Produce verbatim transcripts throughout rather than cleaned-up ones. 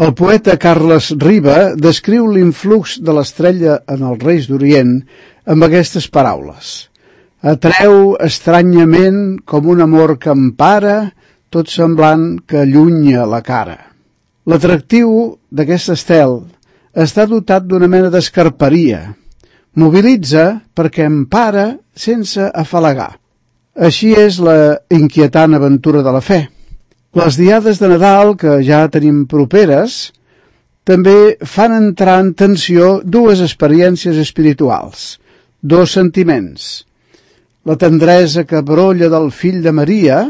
El poeta Carles Riba descriu l'influx de l'estrella en els Reis d'Orient amb aquestes paraules. Atreu estranyament com un amor que empara, tot semblant que allunya la cara. L'atractiu d'aquest estel està dotat d'una mena d'escarperia. Mobilitza perquè empara sense afalagar. Així és la inquietant aventura de la fe. Les diades de Nadal, que ja tenim properes, també fan entrar en tensió dues experiències espirituals, dos sentiments. La tendresa que brolla del fill de Maria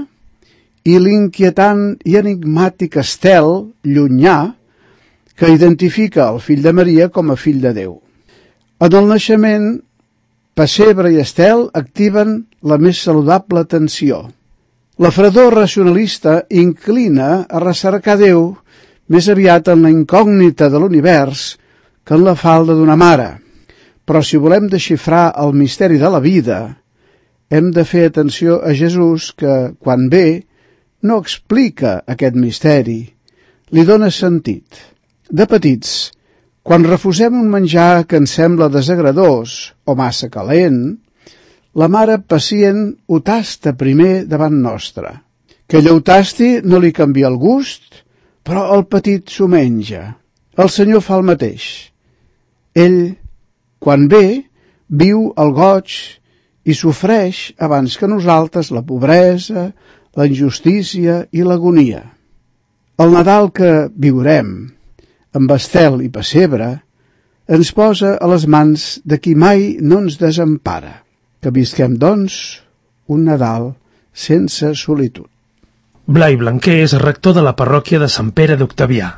i l'inquietant i enigmàtic estel llunyà que identifica el fill de Maria com a fill de Déu. En el naixement, pessebre i estel activen la més saludable tensió. La fredor racionalista inclina a recercar Déu més aviat en la incògnita de l'univers que en la falda d'una mare. Però si volem desxifrar el misteri de la vida, hem de fer atenció a Jesús que, quan ve, no explica aquest misteri, li dona sentit. De petits, quan refusem un menjar que ens sembla desagradós o massa calent, la mare pacient ho tasta primer davant nostre. Que ella ho tasti no li canvia el gust, però el petit s'ho menja. El Senyor fa el mateix. Ell, quan ve, viu el goig i sofreix abans que nosaltres la pobresa, la injustícia i l'agonia. El Nadal que viurem, amb estel i pessebre, ens posa a les mans de qui mai no ens desempara. Que visquem, doncs, un Nadal sense solitud. Blai Blanquer és rector de la parròquia de Sant Pere d'Octavià.